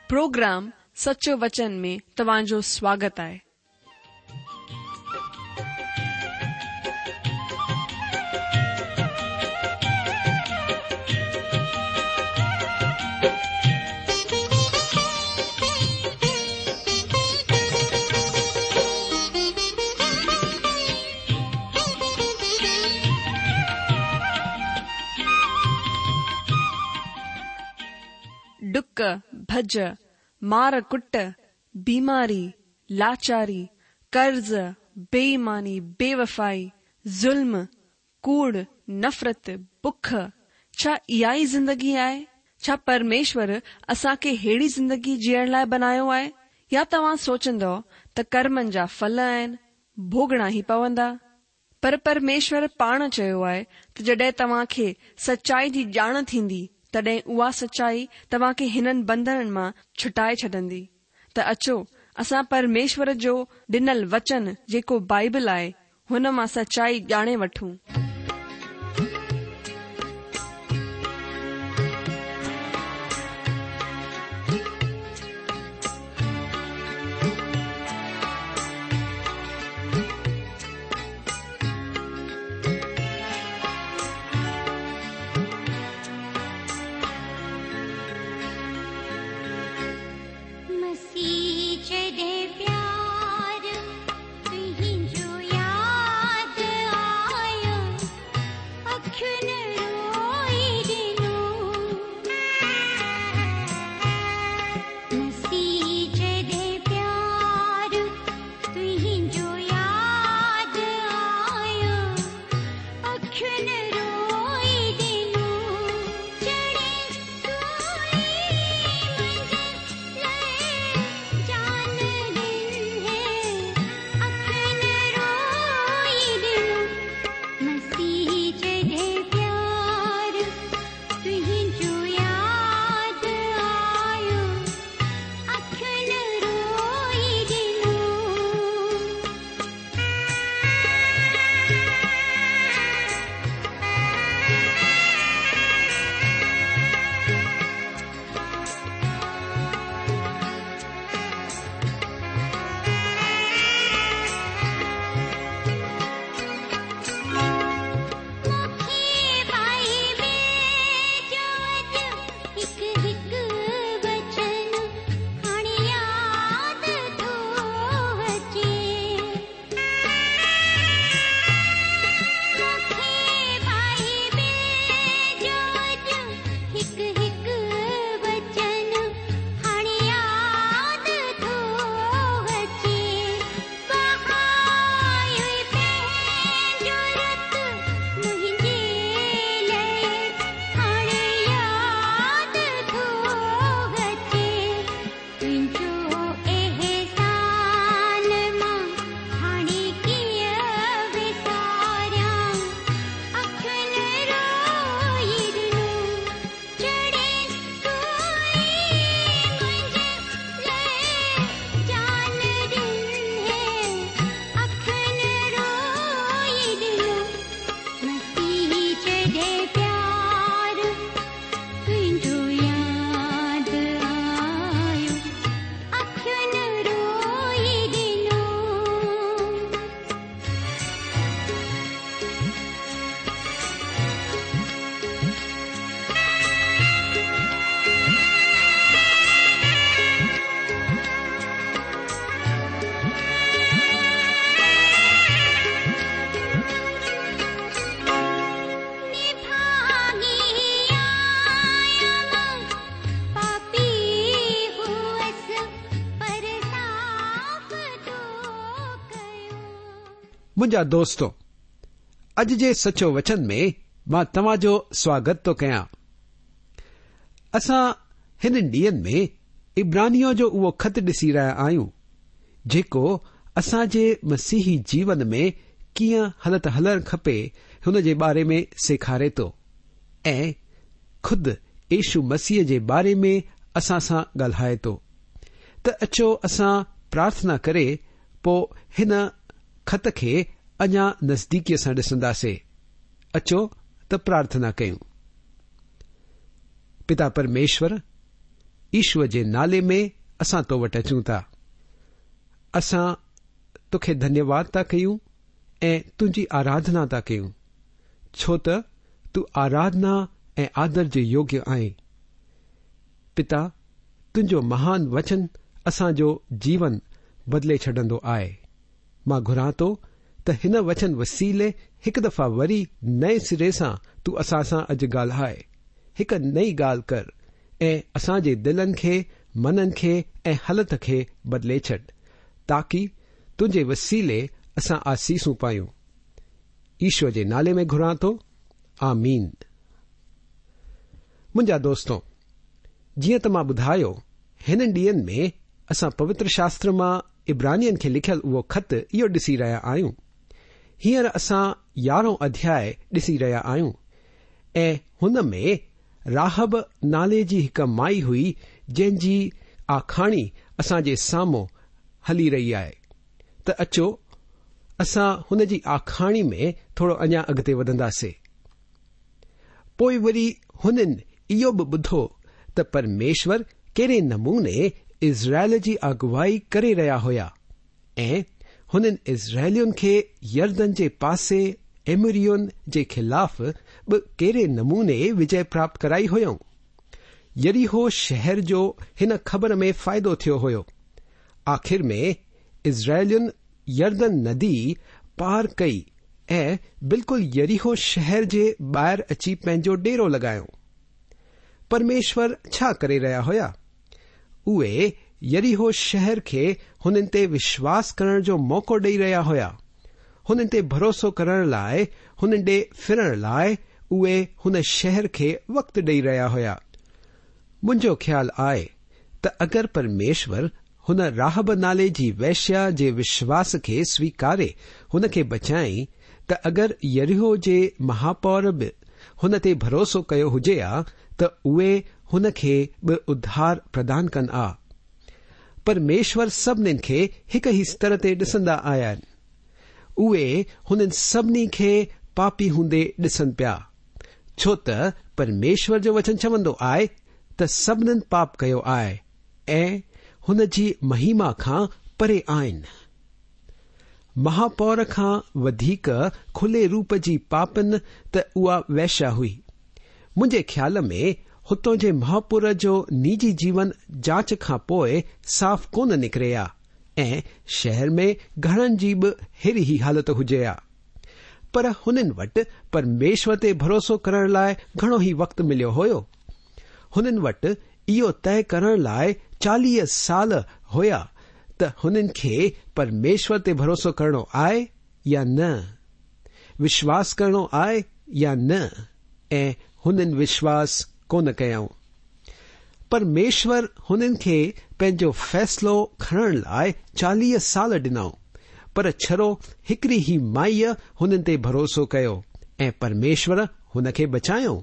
Programme سچو وچن ۾ توهان جو سواگت آهي. ڊڪ، ڀڄ، مار ڪٽ، بيماري، لاچاري، قرض، بي ايماني، بي وفائي، ظلم، ڪوڙ، نفرت، بک، ڇا اها ئي زندگي آهي؟ ڇا پرميشور اسان کي ههڙي زندگي جيئڻ لاء بنايو آهي؟ يا توهان سوچندؤ ته ڪرمن جا ڦل آهن، ڀوڳڻا ئي پوندا؟ پر پرميشور پاڻ چيو آهي ته جڏهن توهان کي سچائي جي ڄاڻ ٿيندي، تڏهن اها سچائي توهان کي هنن بنڌنن مان ڇٽائي ڇڏندي. ته اچو، اسان پرميشور جو ڏنل وچن جيڪو بائيبل آهي، هن مان سچائي ڄاڻي وٺون. مسيح جڏهن پيار تنهنجو ياد آيو اکين روئي ڏنو مسيح جڏهن پيار تنهنجو ياد آيو اکين روئي ڏنو چڙهين سولي منهنجي لئه جان ڏني اکين روئي ڏنو مسيح جڏهن پيار تنهنجو ياد آيو اکين روئي ڏنو. مون کي بائيبل جو اڄ هڪ هڪ وچن هاڻي ياد ٿو اچي. مون کي بائيبل جو اڄ هڪ هڪ وچن هاڻي ياد ٿو اچي. وهايو پنهنجو رت منهنجي لئه هاڻي ياد ٿو اچي. تنهنجو احسان مان هاڻي ڪيئن وساريان. اکين روئي ڏنو چڙهين سولي منهنجي لئه جان ڏني. اکين روئي ڏنو مسيح جڏهن پيار تنهنجو ياد آيو اکين روئي ڏنو. نڀاڳي آهيان مان پاپي هئس پر صاف تو ڪيو. منهنجا دوستو، اڄ جي سچو وچن ۾ مان توهان جو سواگت ٿو ڪيان. اسان هنن ڏينهن ۾ عبرانيون جو اهو خط ڏسي رهيا آهيون، جيڪو اسان جي مسيحي جيون ۾ ڪيئن هلت هلڻ کپي هن جي باري ۾ سيکاري ٿو ۽ خود يشو مسيح جي باري ۾ اسان سان ڳالهائي ٿو ته اچو اسان پرارٿنا ڪري پوء هن خط کي اڃا نزديڪيء سان ڏسنداسي. اچو ته پرارٿنا ڪيون. پتا پرميشور! يشوء جي نالي ۾ اسان تو وٽ اچون ٿا. اسان توکي ڌنيواد ٿا ڪيون ۽ تنهنجي آراڌنا ٿا ڪيون، ڇو ته تون آراڌنا ۽ آدر جي يوگيه آهين. پتا، تنهنجو مهان وچن اسان جو جيون بدلي ڇڏندو آهي. مان گهران ٿو ته هن وچن وسيلي هڪ دفعا وري نئين سري سان تون اسان سان اڄ ڳالهاء، هڪ نئين ڳالهه ڪر ۽ اسان جي دلن کي، منن کي ۽ هلت کي بدلي ڇڏ، تاڪي تنهنجي وسيلي اسان آسيسون پايون. يشوء جي نالي ۾ گهران ٿو. آمين. منهنجا دوستو، جيئن ته مان ٻڌايو، هنن ڏينهن ۾ اسان پوتر شاستر مان عبرانين کي لکيل اهو خط اهو ڏسي رهيا آهيون. هينئر اسان يارهون اڌياء ڏسي رهيا آهيون ۽ هن ۾ راهب نالي جي هڪ مائي هئي جنهن جي آکاڻي اسان جي سامهون هلي رهي آهي ته اچو اسان هن جي آکاڻي ۾ ٿورو اڃا اڳتي وڌنداسي. پوء وري هنن اهو به ٻڌو ته پرميشور ڪهڙي نموني اسرائيل جي اڳوائي ڪري رهيا هيا ۽ هنن اسرائيلين کي يردن جي پاسي ايمورين جي خلاف به ڪهڙي نموني وجئه پراپت ڪرائي هيائون. يريحو شهر جو هن خبر ۾ فائدو ٿيو هيو. آخر ۾ اسرائيلين يردن ندي پار ڪئي ۽ بلڪل يريحو شهر جي ٻاهر اچي پنهنجو ڊيرو لڳايو. پرميشور ڇا ڪري رهيا هيا؟ اهي يريحو شهر کي هنن تي وشواس ڪرڻ جو موقعو ڏئي رهيا هيا. هنن تي ڀروسو ڪرڻ لاء، هنن ڏي ڦرڻ لاء اهي هن شهر کي وقت ڏئي رهيا هيا. منهنجو خيال آهي ته اگر پرميشور هن راهب نالي جي وئشيا جي وشواس کي سويڪاري هن کي بچائين ته اگر يريحو جي مهاپور به هن تي ڀروسو ڪيو هجي ها ته اهي هن کي به اڌار پردان ڪن ها. پرميشور سڀنين کي هڪ ئي ستر تي ڏسندا آهن. اهي هنن سڀني کي پاپي هوندي ڏسن پيا. ڇو ته پرميشور جو وچن چوندو آهي ته سڀنين پاپ ڪيو آهي ۽ هن جي مهيما کان پري آهن. مهاپور کان وڌيڪ کلي روپ جي پاپن ته اها وئشيا هئي. منهنجي خيال ۾ هتون جي مهاپور جو نجي جيون جاچ کان پوء صاف ڪونه نڪري ها ۽ شهر ۾ گهڻن جي به ههڙي ئي حالت هجي ها. پر هنن وٽ پرميشور تي ڀروسو ڪرڻ لاء گهڻو ئي وقت مليو هيو. هنن وٽ اهو طئي ڪرڻ لاء 40 سال هيا ته هنن کي پرميشور تي ڀروسو ڪرڻو آهي يا نه، وشواس ڪرڻو آهي يا نه ۽ هنن وشواس ڪونه ڪيائون. پرميشور هنن کي پنهنجو فيصلو کڻڻ لاء 40 سال ڏنائون، پر ڇڙو هڪڙي ئي مائيء هنن تي ڀروسو ڪيو ۽ پرميشور هن کي بچايو.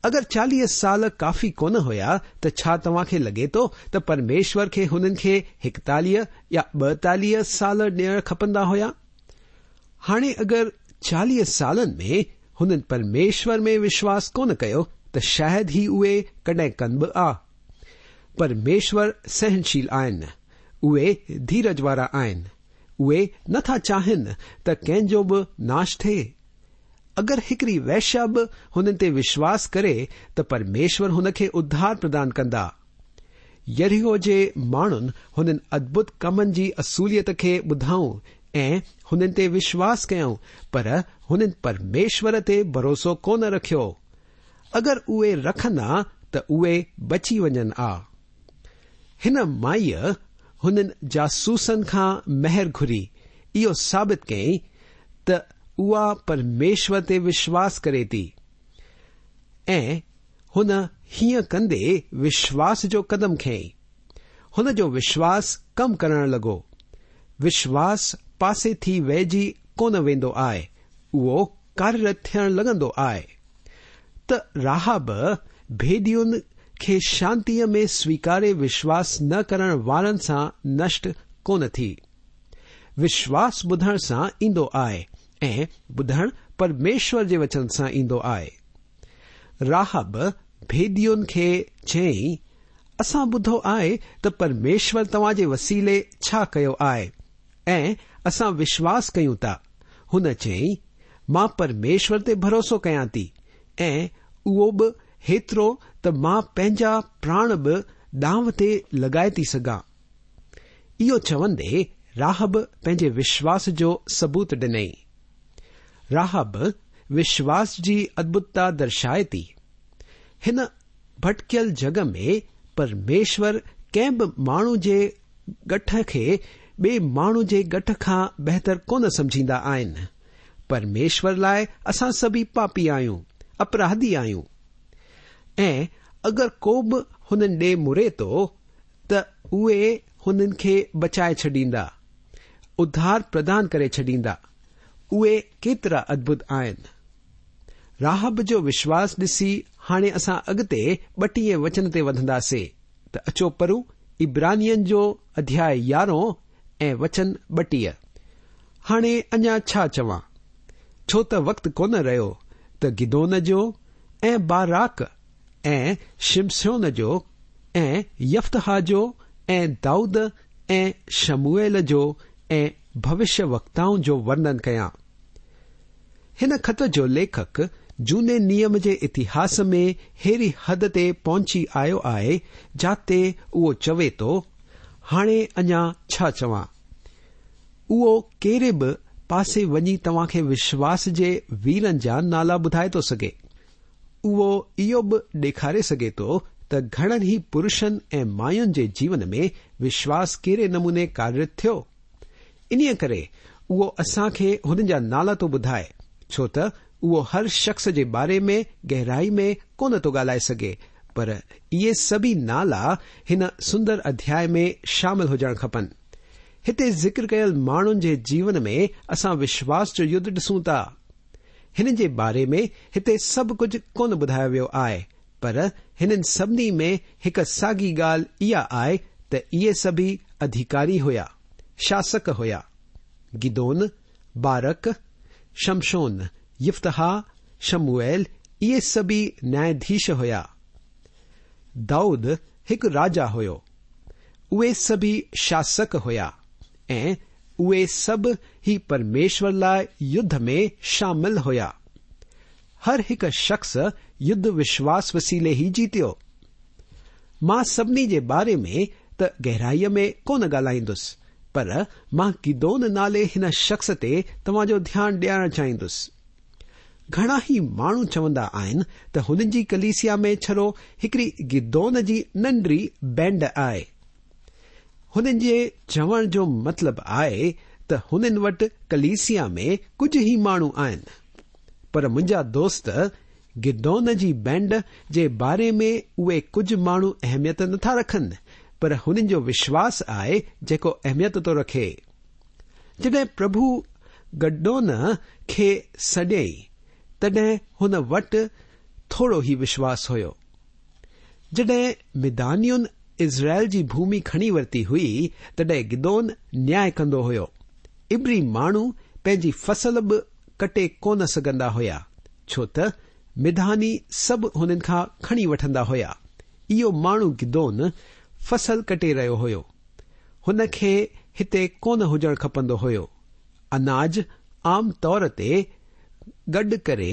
اگر 40 سال ڪافي ڪونه هيا ته ڇا توهان کي لڳي ٿو ته پرميشور کي هنن کي 41 يا 42 سال ڏيڻ کپندا هيا؟ هاڻي اگر 40 سالن ۾ هنن پرميشور ۾ وشواس ڪونه ڪيو ته شايد ئي اهي ڪڏهن ڪن به آ. پرميشور سهنشيل آهن. اهي ڌيرج وارا آهن. اهي نه ٿا چاهين ته ڪنهن جو به ناش ٿئي. اگر هڪڙي وئشيا به هنن تي وشواس ڪري ته پرميشور هن کي اڌار پردان ڪندا. يريحو جي ماڻهن هنن ادڀت ڪمن جي اصليت کي ٻڌائون ۽ هنن تي وشواس ڪيائون پر هنن پرميشور تي ڀروسو ڪونه رکيو. اگر اهي رکن ها ته اهي بچي وڃن ها. هن مائيء هنن جاسوسن کان مهر گهري اهو ثابت ڪيائين ته اها پرميشور تي وشواس ڪري ٿي ۽ هن هيئن ڪندي وشواس جو قدم کنيائين. هن جو وشواس ڪم ڪرڻ لڳو. وشواس پاسي ٿي ويهجي ڪونه ويندو آهي، اهو ڪاريرت ٿيڻ لڳندو آهي. ته راهب ڀيڏين کي شانتيء ۾ سويڪاري وشواس نه ڪرڻ وارن سان نشٽ ڪونه ٿي. وشواس ٻڌڻ سان ايندو آهي ۽ ٻڌڻ پرميشور جي وچن سان ايندو آهي. راهب ڀيڏين کي چيائين، اسان ٻڌو آهي ته پرميشور توهان جي وسيلي ڇا ڪيو آهي ۽ اسان وشواس ڪيون ٿا. هن چيائين، مان پرميشور تي ڀروسو ڪيان ٿي ۽ اهو به هيترو ته مان پنهنجا پراڻ به دانء تي لڳائي ٿي سگهان. اهو چوندي راهب پنهنجي وشواس جو ثبوت ڏنائين. راهب وشواس جي ادڀتتا درشائي ٿي. هن ڀٽڪيل جڳ ۾ پرميشور ڪنهن به ماڻهو جي ڳٺ کي ٻئي ماڻهو جي ڳٺ کان بهتر ڪونه سمجهيندا آهن. پرميشور لاء اسان سڀئي پاپي آهيون، اپراڌي آهيون. ۽ اگر ڪو به هنن ڏي مڙي ٿو ته اهي هنن کي بچائي ڇڏيندا، اڌار پردان ڪري ڇڏيندا. اهي ڪيترا ادڀت آهن. راهب جو وشواس ڏسي هاڻي اسان اڳتي ٻٽيهين وچن تي وڌنداسي ته اچو پڙهون عبرانين جو اڌياء يارهون ۽ وچن 32. هاڻي اڃا ڇا چوان؟ ڇو ته وقت ڪونه رهيو ته گدعون جو ۽ باراڪ ۽ شمشون جو ۽ يفتاح جو ۽ دائود ۽ شموئيل جو ۽ ڀوشيه وڪتائن جو ورنن ڪيان. هن خط جو ليکڪ جهوني نيم جي اتهاس ۾ ههڙي حد تي پهچي آيو آهي جاتي اهو چوي ٿو، هاڻي اڃا ڇا چوان؟ اهو ڪهڙي به پاسي وڃي توهان کي وشواس جي ويرن جا نالا ٻڌائي ٿو سگهي. اهو اهو به ڏيکاري سگهي ٿو ته گهڻن ئي پرشن ۽ ماين جي جيون ۾ وشواس ڪهڙي نموني ڪاريرت ٿيو. انهيء ڪري اهو اسان کي هنن جا نالا ٿو ٻڌائي، ڇو ته اهو هر شخص جي باري ۾ گهرائي ۾ ڪونه ٿو ڳالهائي سگهي، پر اهي سڀئي نالا هن سندر اڌياء ۾ شامل هجڻ کپن. هتي ذڪر ڪيل ماڻهن جي جيون ۾ اسان وشواس جو يڌ ڏسون ٿا. هنن جي باري ۾ هتي سڀ ڪجهه ڪونه ٻڌايو ويو آهي، پر هنن سڀني ۾ هڪ ساڳي ڳالهه اها آهي ته اهي سڀئي اڌيڪاري هيا، شاسڪ هيا. گدعون، بارق، شمشون، يفتاح، شموئيل اهي سڀئي نياياڌيش هيا. دائود هڪ راجا هيو. اهي سڀئي شاسڪ هيا ۽ اهي سڀ ئي پرميشور لاء يڌ ۾ شامل هيا. هر هڪ شخص يڌ وشواس وسيلي ئي جيتيو. مان سڀني جي باري ۾ ته گهرائيء ۾ ڪونه ڳالهائيندس، پر مان گدعون نالي هن شخص تي توهان جو ڌيان ڏيارڻ چاهيندس. گهڻا ئي ماڻهو چوندا آهن ته هنن جي ڪليسيا ۾ ڇڙو هڪڙي گدعون جي ننڍڙي بينڊ آهي. هنن جي چوڻ جو مطلب آهي ته هنن وٽ ڪليسيا ۾ ڪجهه ئي ماڻهو آهن. پر منهنجا دوست، گدعون جي بينڊ جي باري ۾ اهي ڪجهه ماڻهو اهميت نٿا رکن، پر هنن جو وشواس آهي جيڪو اهميت ٿو رکي. جڏهن پرڀو گدعون کي سڏيائين، تڏهن هن وٽ ٿورو ئي وشواس هيو. جڏهن مديانين اسرائيل جي ڀومي کڻي ورتي هئي، تڏهن گدعون نياء ڪندو هيو. عبري ماڻهو پنهنجي فصل به ڪٽي ڪونه سگهندا هيا، ڇو ته مدياني سڀ هنن کان کڻي وٺندا هيا. اهو ماڻهو گدعون فصل ڪٽي رهيو هيو. هن کي هتي ڪونه هجڻ کپندو هيو. اناج عام طور تي گڏ ڪري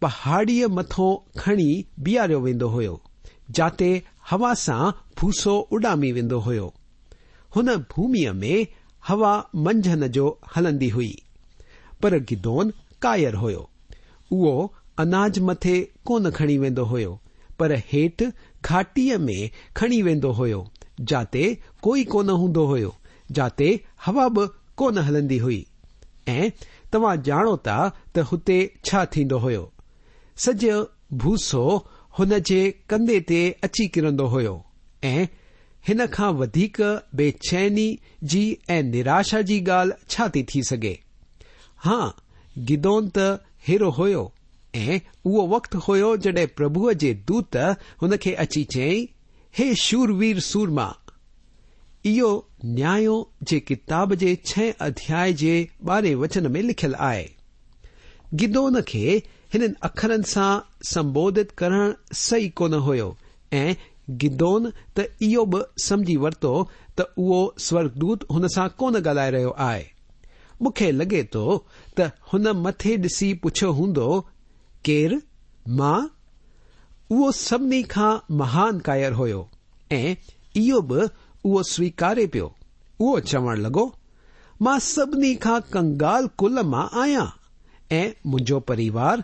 پهاڙيء مٿون کڻي بيهاريو ويندو هيو، جاتي هوا سان ڀوسو اڏامي ويندو هيو. هن ڀوميء ۾ هوا منجهند جو هلندي هئي. پر گدعون ڪائر هيو. اهو اناج مٿي ڪونه کڻي ويندو هيو، پر هيٺ گهاٽيء ۾ کڻي ويندو هيو، جاتي ڪوئي ڪونه هوندو هيو، جاتي هوا به ڪونه هلندي هئي. ۽ توهان ڄاڻو ٿا ته هتي ڇا ٿيندو هيو. سڄو ڀوسو هن جي ڪنڌي تي اچي ڪرندو هيو ۽ هن کان وڌيڪ بي چيني جي ۽ نراشا جي ڳالهه ڇا ٿي ٿي سگهي؟ ها، گدعون ته ههڙو هيو ۽ اهو وقت هيو جڏهن پرڀوء جي دوت هن کي اچي چيائين، هي شوروير سورما! اهو نياء جي ڪتاب جي ڇهين اڌياء جي ٻارهين وچن ۾ لکيل آهي. گدعون کي هنن اکرن سان سنبوڌت ڪرڻ صحيح ڪونه هيو ۽ گدعون ته اهو به سمجهي ورتو ته اهو سورڳدوت هن سان ڪونه ڳالهائي رهيو آهي. مون کي لڳي ٿو ته هن مٿي ڏسي پڇيو هوندو، ڪير؟ مان؟ اهو سڀني کان مهان ڪائر هيو ۽ اهو به اهو سويڪاري پيو. اهو چوڻ لڳو، مان سڀني کان ڪنگال ڪل مان آهيان ۽ منهنجو پريوار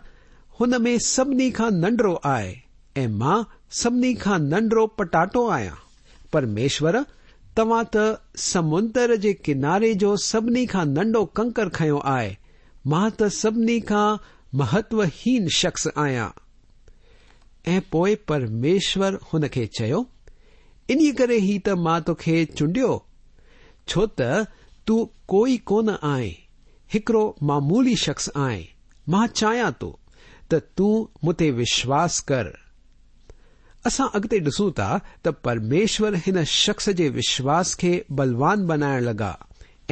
هن ۾ سڀني کان ننڍڙو آهي ۽ مان سڀني کان ننڍڙو پٽاٽو آهيان. پرميشور، توهان ته سمندر جي ڪناري جو سڀني کان ننڍو ڪنڪر کنيو آهي، مان ته سڀني کان مهتوهين شخص آهيان. ۽ پوء پرميشور هن کي چيو، انهيء ڪري ئي ته مان توکي چونڊيو، ڇو ته تون ڪوئي ڪونه آهين، هڪڙو معمولي شخص آهين، مان چاهيان ٿو ته تون مون تي وشواس ڪر. اسان اڳتي ڏسون ٿا ته پرميشور هن شخص جي وشواس کي بلوان بنائڻ لڳا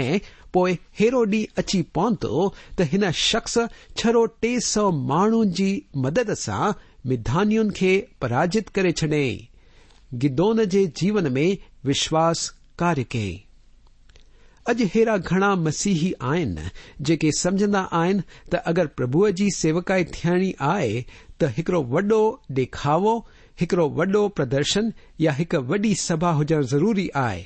۽ پوء ههڙو ڏينهن اچي پهتو ته هن شخص ڇڙو 300 ماڻهن جي مدد سان مديانين کي پراجت ڪري ڇڏيائين. گدعون جي جيون ۾ وشواس ڪاريه ڪيائين. اڄ ههڙا گهڻا مسيحي آهن جيڪي سمجهندا آهن ته اگر پرڀوء جي سيوڪائي ٿيڻي آهي ته هڪڙو وڏو ڏيکاوو، هڪڙو وڏو پردرشن يا هڪ وڏي سڀا هجڻ ضروري آهي.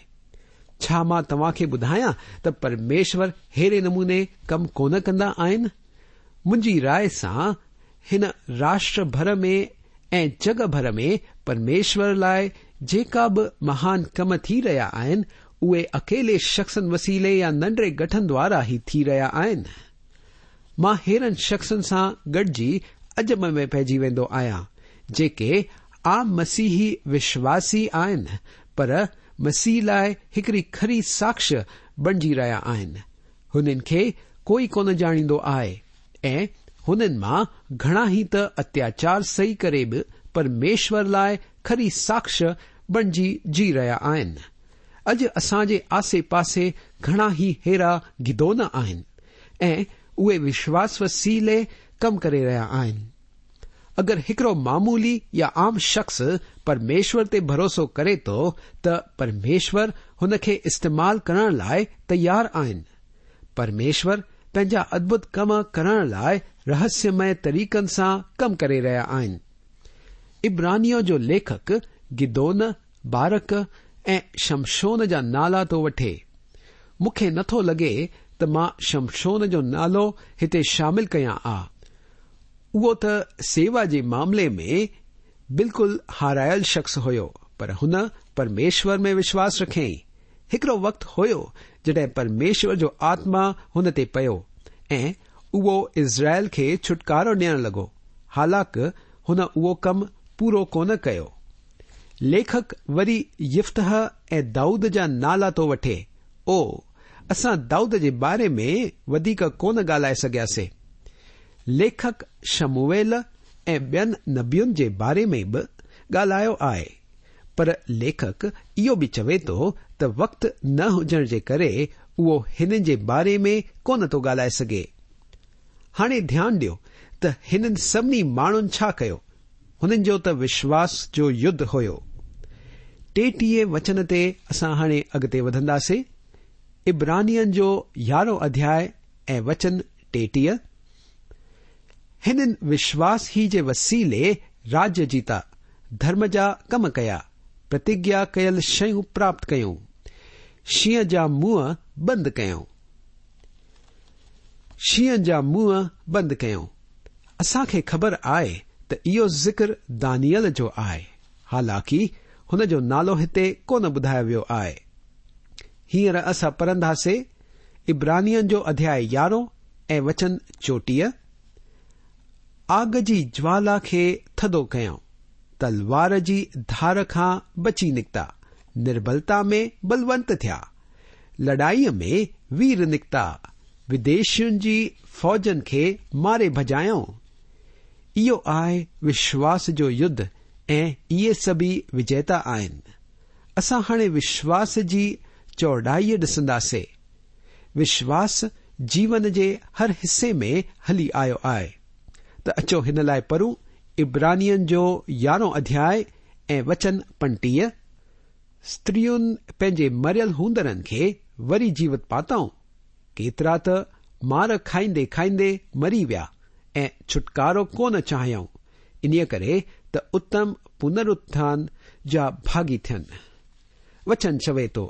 ڇا مان توهان کي ٻڌايان ته پرميشور ههڙي نموني ڪم ڪونه ڪندا آهن؟ منهنجي راء سان هن راشٽر ڀر ۾ ۽ جڳ ڀر ۾ پرميشور لاء جيڪا به مهان ڪم ٿي رهيا آهن، اهي اڪيلي شخصن وسيلي يا ننڍڙي گٺن دوارا ئي ٿي رهيا آهن. مان ههڙن شخصن سان گڏجي عجب ۾ پئجي ويندو آهيان، جيڪي عام مسيحي وشواسي آهن، پر مسيح لاء هڪڙي کري ساکش بڻجي رهيا آهن. هنن کي ڪوئي ڪونه ڄاڻيندو آهي ۽ هنن مان گهڻا ئي ته اتياچار سهي ڪري به پرميشور لاء کري ساکش بڻجي جي رهيا آهن. اڄ اسان جي آسي پاسي گهڻا ئي ههڙا گدعون آهن ۽ اهي وشواس وسيلي ڪم ڪري رهيا آهن. اگر هڪڙو معمولي يا عام شخص پرميشور تي ڀروسو ڪري ٿو ته پرميشور هن کي استعمال ڪرڻ لاء تيار آهن. پرميشور پنهنجا ادڀت ڪم ڪرڻ لاء رهسيمئي طريقن سان ڪم ڪري رهيا آهن. عبرانيون جو ليکڪ گدعون، بارق ۽ شمشون جا نالا ٿو وٺي. مون کي نٿو لڳي ته مان شمشون جو نالو هتي شامل ڪيان آ. اهو ته سيوا جي معاملي ۾ بلڪل هارايل شخص هيو، پر هن پرميشور ۾ وشواس رکيائين. هڪڙو وقت هيو جڏهن پرميشور جو آتما هن تي پيو ۽ اهو اسرائيل کي ڇوٽڪارو ڏيڻ لڳو، حالانڪ هن اهو ڪم پورو ڪونه ڪيو. ليکڪ وري يفتح ۽ دائود جا نالا ٿو وٺي. او، اسان دائود جي باري ۾ وڌيڪ ڪونه ڳالهائي سگهياسي. ليکڪ شموئيل ۽ ٻين نبين جي باري ۾ به ڳالهايو آهي، پر ليکڪ اهو به چوي ٿو ته وقت نه هجڻ جي ڪري اهو هنن جي باري ۾ ڪونه ٿو ڳالهائي سگهي. هاڻي ڌيان ڏيو ته هنن سڀني ماڻهن ڇا ڪيو؟ هنن جو ته وشواس جو يڌ هيو. 33 وچن تي اسان هاڻي اڳتي وڌنداسي. عبرانين جو يارهون اڌياء ۽ وچن 33، هنن وشواس ئي جي وسيلي راجيه جيتا، ڌرم جا ڪم ڪيا، پرتگيا ڪيل شيون پراپت ڪيون، شينهن جا منهن بند ڪيائون. شينهن جا منهن بند ڪيائون. اسان کي خبر آهي ته اهو ذڪر دانيئل جو آهي، حالانڪه هن جو نالو هتي ڪونه ٻڌايو ويو آهي. هينئر اسان پڙهنداسي عبرانين جو اڌياء يارهون ۽ وچن 34، آگ جي جوالا کي ٿڌو ڪيائون، تلوار جي ڌار کان بچي نڪتا، نربلتا ۾ بلونت ٿيا، لڙائيء ۾ وير نڪتا، وديشين جي فوجن کي ماري ڀڄايائون. اهو آهي وشواس جو يڌ ۽ اهي سڀئي وجيتا آهن. اسان هاڻي وشواس جي چوڙائي ڏسنداسي. وشواس جيون جي هر حصي ۾ هلي آيو آهي. ته اچو هن لاء پڙهون عبرانين جو يارهون اڌياء ۽ وچن 35، استرين پنهنجي مريل هوندرن کي وري جيوت پاتائون، ڪيترا ته مار کائيندي کائيندي مري ويا ۽ ڇوٽڪارو ڪونه چاهيائون، انهيء ڪري ته اتم پنرٿان جا ڀاڳي ٿين. وچن چوي ٿو،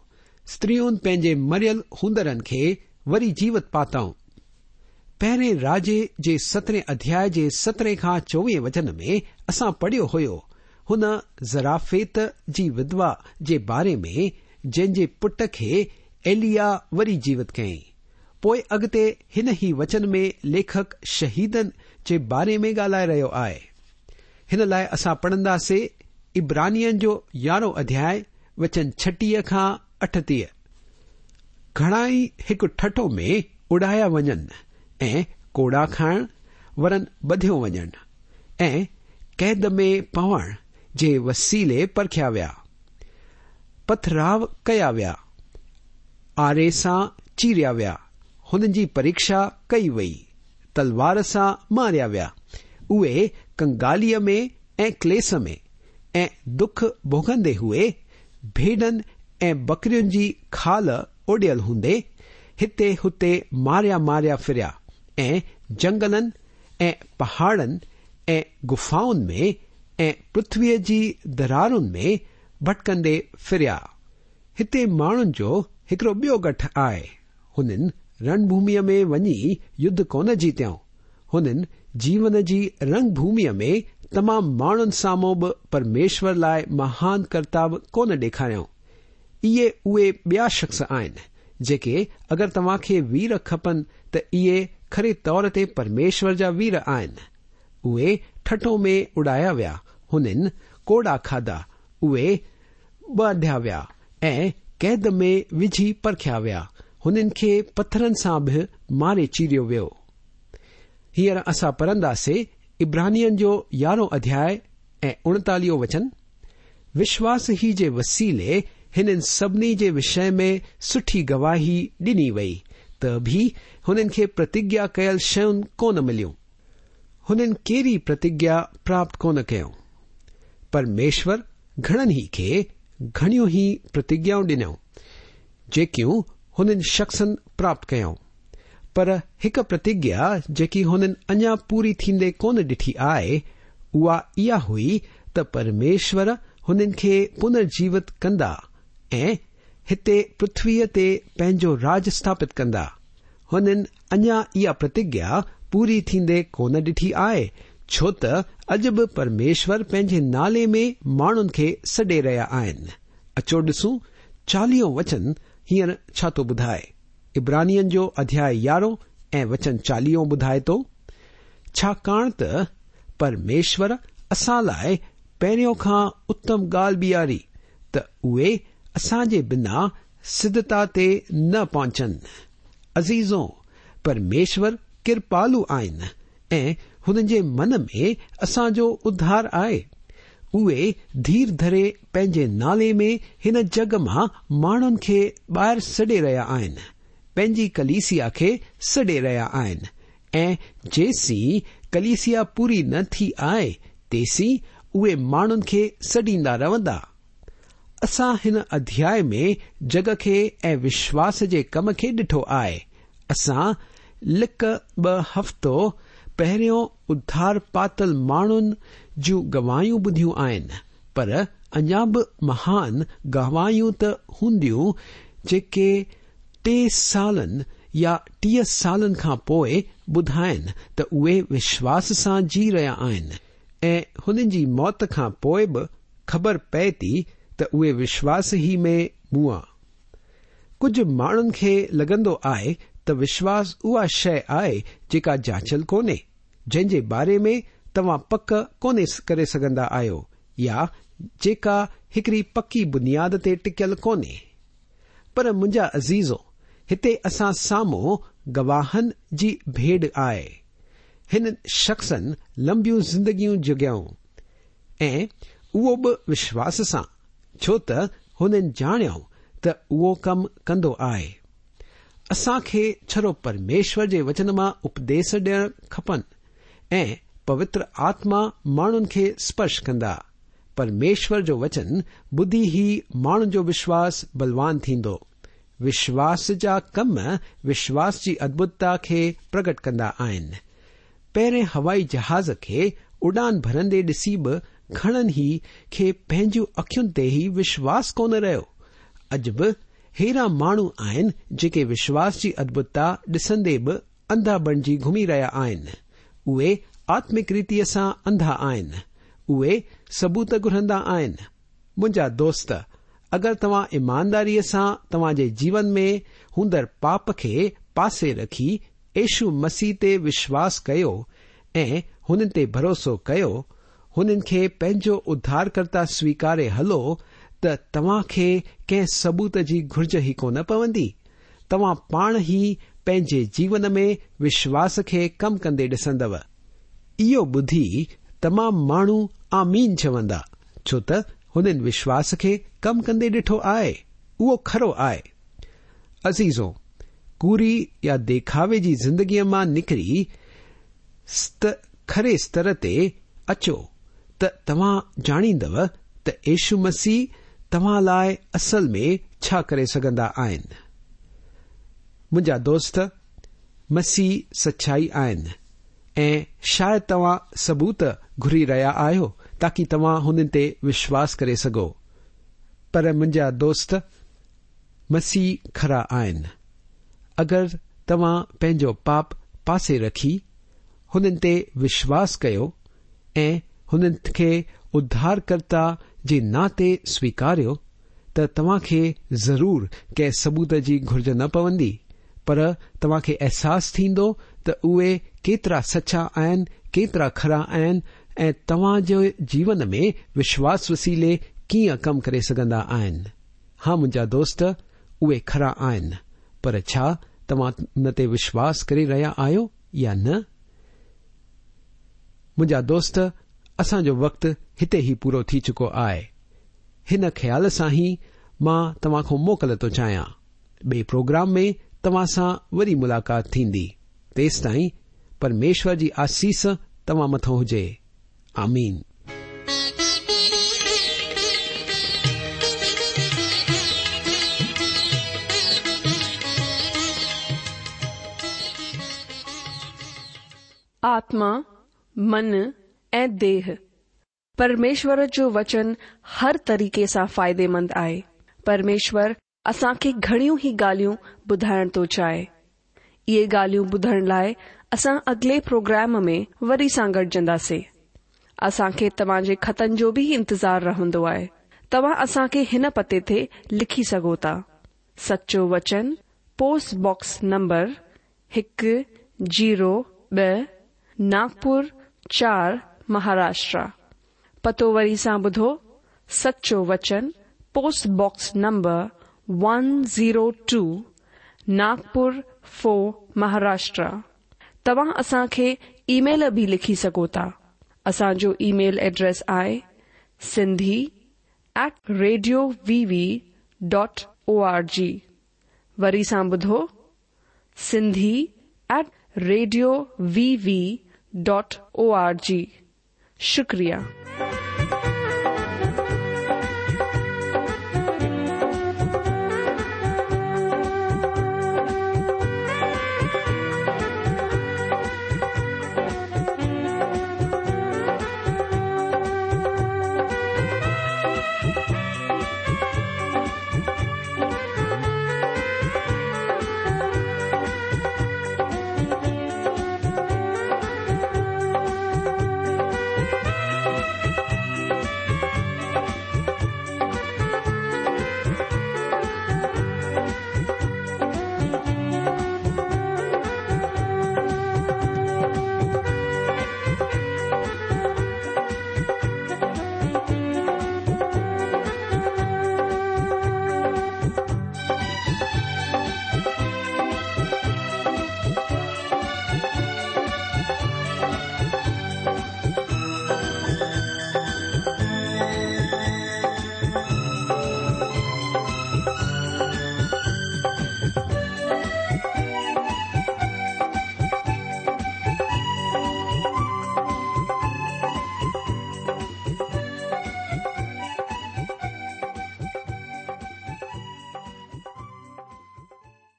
استرين پنهنجي مريل هوندرن کي وري جيوت پاتائون. پهرين راجي جي سترهين اڌياء جي سترهين کان چوويهين وچن ۾ اسان پڙهيو هيو، هن زرافيت جي وڌوا جي باري ۾ جنهن جي پٽ کي ايليا وري جيوت ڪيائين. پوء اڳتي هن ئي وچن ۾ ليکڪ شهيدن جي باري ۾ ڳالهائي رهيو آهي. هن لاء اسان پڙهنداسي عبرانين جو يارهون اڌياء وچن 26 کان 38. گهڻائي هڪ ٺٺو ۾ اڙايا وڃن ۽ ڪوڙا کائڻ ورن ٻڌيو وڃن ۽ قيد ۾ پوڻ جي وسيلي پرکيا ويا. پٿراء ڪيا ويا، آري سان چيريا ويا، هنن جي پريکشا ڪئي وئي، تلوار سان ماريا ويا، اهي ڪنگاليء ۾ ۽ ڪليس ۾ ۽ دک ڀوڳندي هئي، ڀيڏن ۽ ٻڪرين جي کال اوڍيل هوندي، هتي هتي ماريا ماريا ڦريا ۽ جنگلن ۽ پهاڙن ۽ گفائن ۾ ۽ پرٿويء جي درارن ۾ ڀٽڪندي ڦريا. هتي ماڻهن جو هڪڙو ٻيو ڳٺ آهي. هنن رڻ ڀوميء ۾ وڃي يڌ ڪونه جيتيائون. هنن جيون جي رنگ ڀوميء ۾ تمام ماڻهن سامهون به پرميشور لاء مهان ڪرتب ڪونه ڏيکاريائون. اهي اهي ٻيا شخص آهن، جيڪي اگر توهان کي وير کپن ته اهي کري طور تي پرميشور جا وير آهن. اهي ٺٺو ۾ اڙايا ويا، هنن ڪوڙا کاڌا، اهي ٻڌيا ويا ۽ قيد ۾ وجهي پرکيا ويا، هنن کي پٿرن سان به ماري چيريو ويو. هينئر اسان پڙهنداسي عبرانين جو يارهون اڌياء ۽ اڻيتاليهون وچن، وشواس ئي جي وسيلي هنن سڀني جي وشي ۾ سٺي گواهي ڏني وئي ته به هنن کي پرتگيا ڪيل شيون ڪونه مليون. هنن ڪهڙي پرتگيا پراپت ڪونه ڪيون. پرميشور گهڻن ئي کي گهڻيون ئي پرتگيائون ڏنيون، جيڪيون هنن شخصن پراپت ڪيون. پر هڪ پرتگيا جيڪي هنن اڃا پوري ٿيندي ڪونه ڏٺي آهي، اها اها هئي ته پرميشور هنن کي پنرجيوت ڪندا ۽ هتي پرٿويء تي پنهنجو راڄ اسٿاپت ڪندا. هنن اڃا اها پرتگيا پوري ٿيندي ڪونه ڏٺي آهي، ڇو ته اڄ به پرميشور پنهنجي نالي ۾ ماڻهن کي سڏي رهيا آهن. اچو ڏسون چاليهون وچن هينئر ڇا ٿو ٻڌائي. عبرانين جو اڌياء يارهون ۽ وچن چاليهون ٻڌائي ٿو، ڇاڪاڻ ته پرميشور اسان لاء پهريون کان اتم ڳالهه بيهاري ته اهي اسان جي بنا سڌتا تي نه پهچن. عزيزو! پرميشور ڪرپالو آهن ۽ هنن جي من ۾ اسان جو اڌار آهي. اهي ڌير ڌري پنهنجي نالي ۾ هن جڳ مان ماڻهن کي ٻاهر سڏي رهيا آهن، پنهنجي ڪليسيا کي سڏي رهيا آهن ۽ جيسين ڪليسيا پوري نه ٿي آهي تيسين اهي ماڻهن کي سڏيندا رهندا. اسان هن اڌياء ۾ جڳ کي ۽ وشواس جي ڪم کي ڏٺو آهي. اسان لڪ ٻه هفتو پهريون اڌار پاتل ماڻهن جون گواهيون ٻڌيون آهن، پر اڃا به مهان گواهيون ته هونديون جيڪي ٽي سالن يا 30 سالن کان پوء ٻڌائين ته اهي وشواس سان جي رهيا آهن ۽ هنن جي موت کان پوء به خبر پئي ٿي ته اهي وشواس ئي ۾ مئا. ڪجهه ماڻهن کي لڳندو آهي ته وشواس اها شيء آهي جيڪا جانچيل ڪونهي، جنهن جي باري ۾ توهان پڪ ڪونهي ڪري سگهندا آهيو يا جيڪا هڪڙي پڪي بنياد تي ٽڪيل ڪونهي. پر منهنجا عزيزو، هتي اسان سامهون گواهن جي ڀيڙ آهي. هنن شخصن لنبيون زندگيون جڳيائون ۽ اهو به وشواس سان. ڇو ته هنن ڄاڻيو ته اهو ڪم ڪندو آهي. اسان کي ڇڙو پرميشور جي وچن مان اپديس ڏيڻ کپن ۽ پوتر آتما ماڻهن کي سپرش ڪندا. پرميشور جو وچن ٻڌي ئي ماڻهن جو وشواس بلوان ٿيندو. وشواس جا ڪم وشواس جي ادڀتتا کي پرگٽ ڪندا آهن. پهرين هوائي جهاز کي اڏان ڀرندي ڏسي به گهڻن ئي کي پنهنجون اکين تي ئي وشواس ڪونه رهيو. اڄ به ههڙا ماڻهو آهن جيڪي وشواس جي ادڀتتا ڏسندي به انڌا بڻجي گهمي رهيا آهن. اهي آتمڪ ريتيء سان انڌا آهن. اهي ثبوت گهرندا آهن. منهنجا دوست، اگر توهان ايمانداريء سان توهان جي جيون ۾ هوندڙ پاپ کي پاسي رکي يشو مسيح تي وشواس ڪيو ۽ هنن تي ڀروسو ڪيو، هنن کي پنهنجو اڌارڪرتا سويڪاري هلو ته توهان کي ڪنهن ثبوت جي گهرج ئي ڪونه پوندي. توهان پاڻ ئي پنهنجي جيون ۾ وشواس کي ڪم ڪندي ڏسندؤ. اهو ٻڌي تمام ماڻهو آمين چوندا، ڇو ته هنن وشواس کي ڪم ڪندي ڏٺو آهي، اهو کرو آهي. عزيزو! ڪوڙي يا ديکاوي جي زندگيء مان نڪري کري ستر تي اچو ته توهان ڄاڻيندؤ ته يشو مسيح توهان لاء اصل ۾ ڇا ڪري سگهندا آهن. منهنجا دوست، مسيح سچائي آهن ۽ شايد توهان ثبوت گهري رهيا آهيو تاڪي توهان هنن تي وشواس ڪري سگهو. پر منهنجا دوست، مسيح کرا آهن. اگر توهان پنهنجو پاپ پاسي رکي هنن تي وشواس ڪيو ۽ هنن کي اڌارڪرتا جي ناتي سويڪاريو ته توهان کي ضرور ڪنهن ثبوت جي گهرج نه پوندي پر توهان کي احساس ٿيندو ته اهي ڪيترا سچا آهن، ڪيترا کرا آهن ۽ توهان جي جيون ۾ وشواس وسيلي ڪيئن ڪم ڪري سگهندا آهن. ها منهنجا دوست، اهي کرا آهن، پر ڇا توهان ان تي وشواس ڪري رهيا آهيو يا نه؟ منهنجا دوست، اسان جو وقت هتي ئي پورو ٿي چڪو آهي. هن خيال سان ئي مان توهان کان موڪل ٿو چاهيان. ٻئي پروگرام ۾ توهان سان وري ملاقات ٿيندي. تيستائين پرميشور جي آسيس توهان مٿان هجي. آمين. آتما، من ۽ ديهه. پرميشور جو وچن هر طريقي سان فائديمند آهي. پرميشور اسان کي گهڻيون ئي ڳالهيون ٻڌائڻ ٿو چاهي. اهي ڳالهيون ٻڌڻ لاء اسان اڳلي پروگرام ۾ وري سان گڏجنداسين. اسان کي توهان جي خطن جو به انتظار رهندو آهي. توهان اسان کي هن پتي تي لکي سگهو ٿا. سچو وچن، پوسٽ باڪس نمبر هڪ زيرو ٻه، ناگپور چار، مهاراشٽرا. پتو وري سان ٻڌو، سچو وچن، post box number one zero two, Nagpur four Maharashtra. توهان اسان کي اي ميل به لکي سگهو ٿا. اسان جو اي ميل ايڊريس آهي Sindhi at radio V V dot O R G. وري سان ٻڌو Sindhi at radio V V dot O R G. شڪريه.